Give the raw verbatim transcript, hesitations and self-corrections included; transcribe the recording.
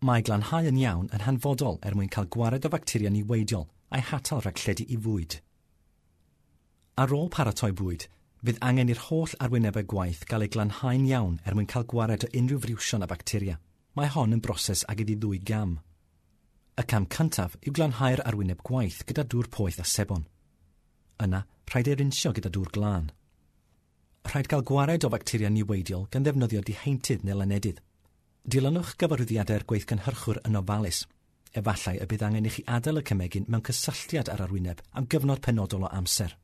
Mae glanhau yn iawn yn hanfodol er mwyn cael gwared o facteria niweidiol a'i hatal rhag lledu i fwyd. Ar ôl paratoi bwyd, fydd angen i'r holl arwynebau gwaith gael eu glanhau'n iawn er mwyn cael gwared o unrhyw friwsion a bacteria. Mae hon yn broses ag iddi ddwy gam. Y cam cyntaf yw glanhau'r arwyneb gwaith gyda dŵr poeth a sebon. Yna, rhaid ei rinsio gyda dŵr glân. Rhaid cael gwared o facteria niweidiol gan ddefnyddio diheintydd neu lanedydd. Dilynwch gyfarwyddiadau'r gweithgynhyrchwr yn ofalus. Efallai y bydd angen i chi adael y cemegyn mewn cysylltiad â'r arwyneb am gyfnod penodol o amser.